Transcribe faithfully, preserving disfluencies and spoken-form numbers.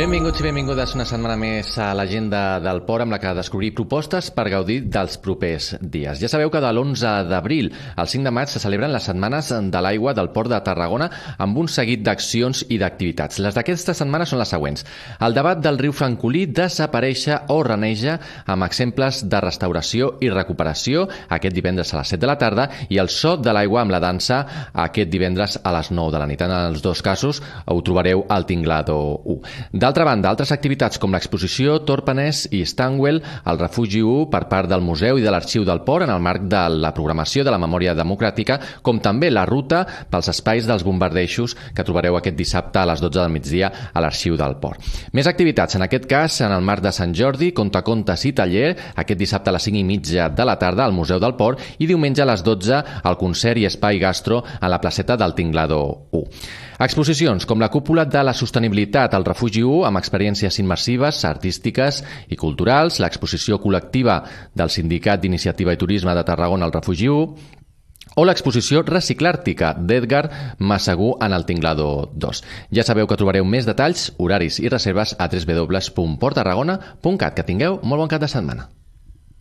Benvinguts i benvingudes una setmana més a l'agenda del Port, amb la que descobrir propostes per gaudir dels propers dies. Ja sabeu que de l'onze d'abril al cinc de maig se celebren les Setmanes de l'Aigua del Port de Tarragona amb un seguit d'accions i d'activitats. Les d'aquesta setmana són les següents. El debat del riu Francolí desaparèixer o reneja, amb exemples de restauració i recuperació aquest divendres a les set de la tarda, i el so de l'aigua amb la dansa aquest divendres a les nou de la nit. En els dos casos ho trobareu al Tinglado u. D'altra banda, altres activitats com l'exposició Torpanès i Stanwell al Refugi u per part del Museu i de l'Arxiu del Port en el marc de la programació de la memòria democràtica, com també la ruta pels espais dels bombardejos que trobareu aquest dissabte a les dotze del migdia a l'Arxiu del Port. Més activitats, en aquest cas en el marc de Sant Jordi, contacontes i taller, aquest dissabte a les cinc i mitja de la tarda al Museu del Port, i diumenge a les dotze al concert i espai gastro a la placeta del Tinglado u. Exposicions com la cúpula de la sostenibilitat al Refugi u amb experiències immersives, artístiques i culturals, l'exposició col·lectiva del Sindicat d'Iniciativa i Turisme de Tarragona al Refugi u, o l'exposició Reciclàrtica d'Edgar Massagú en el Tinglado dos. Ja sabeu que trobareu més detalls, horaris i reserves a w w w punt port tarragona punt cat. Que tingueu molt bon cap de setmana.